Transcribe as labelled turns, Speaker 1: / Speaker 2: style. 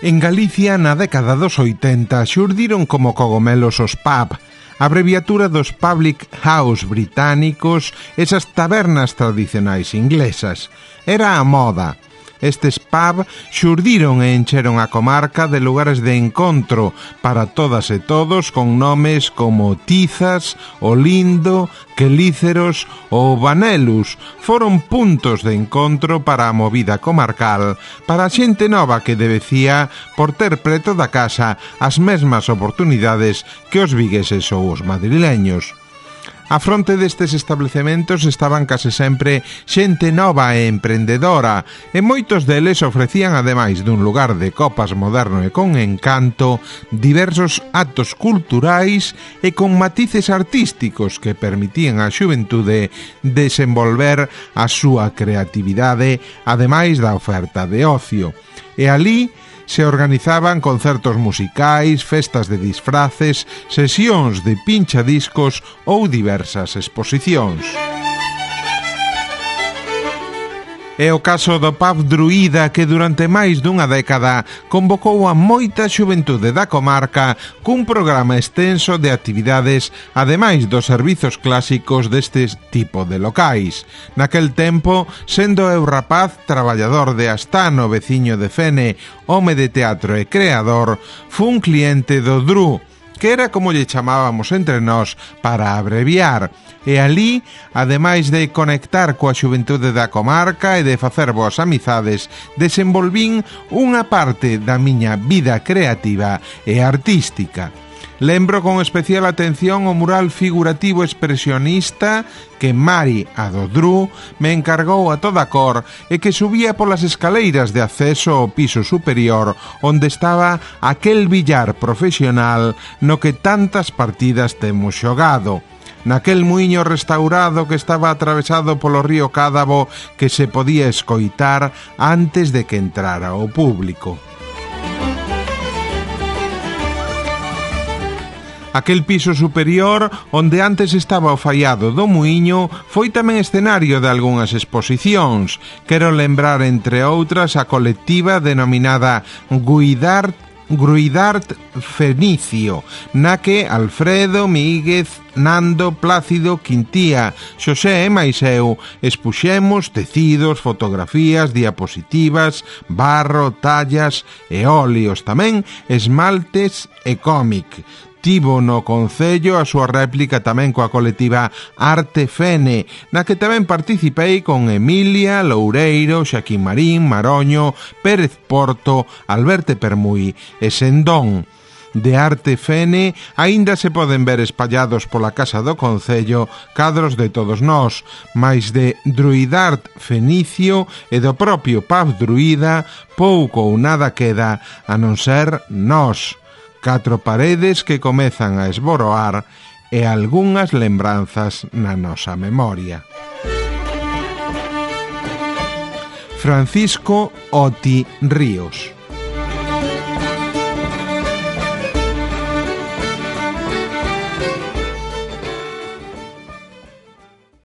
Speaker 1: En Galicia, na década dos 80, xurdiron como cogomelos os pub, abreviatura dos public house británicos, esas tabernas tradicionais inglesas. Era a moda. Estes pub xurdiron e encheron a comarca de lugares de encontro para todas e todos con nomes como Tizas, Olindo, Quelíceros ou Banelus. Foron puntos de encontro para a movida comarcal, para a xente nova que debecía por ter preto da casa as mesmas oportunidades que os vigueses ou os madrileños. A fronte destes establecementos estaban case sempre xente nova e emprendedora, e moitos deles ofrecían, ademais dun lugar de copas moderno e con encanto, diversos actos culturais e con matices artísticos que permitían á xuventude desenvolver a súa creatividade, ademais da oferta de ocio. E alí se organizaban concertos musicais, festas de disfraces, sesións de pinchadiscos ou diversas exposicións. É o caso do pub Druida, que durante máis dunha década convocou a moita xuventude da comarca cun programa extenso de actividades, ademais dos servizos clásicos deste tipo de locais. Naquel tempo, sendo eu rapaz traballador de Astano, veciño de Fene, home de teatro e creador, fun cliente do Dru, que era como lle chamábamos entre nós para abreviar, e alí, ademais de conectar coa xuventude da comarca e de facer boas amizades, desenvolvín unha parte da miña vida creativa e artística. Lembro con especial atención o mural figurativo expresionista que Mari, a do Dru, me encargou a toda cor e que subía polas escaleiras de acceso ao piso superior onde estaba aquel billar profesional no que tantas partidas temos xogado. Naquel muiño restaurado que estaba atravesado polo río Cádavo que se podía escoitar antes de que entrara o público. Aquel piso superior, onde antes estaba o faiado do muiño, foi tamén escenario de algunhas exposicións. Quero lembrar, entre outras, a colectiva denominada Gruidart Fenicio, na que Alfredo, Míguez, Nando, Plácido, Quintía, Xosé e máis eu expuxemos tecidos, fotografías, diapositivas, barro, tallas e óleos, tamén esmaltes e cómic. Tivo no Concello a súa réplica tamén coa colectiva Arte Fene, na que tamén participei con Emilia, Loureiro, Xaquín Marín, Maroño, Pérez Porto, Alberto Permuy e Sendón. De Arte Fene aínda se poden ver espallados pola Casa do Concello cadros de todos nós, mais de Druidart Fenicio e do propio pub Druida pouco ou nada queda a non ser nós. 4 paredes que comezan a esboroar e algunhas lembranzas na nosa memoria. Francisco Oti Ríos.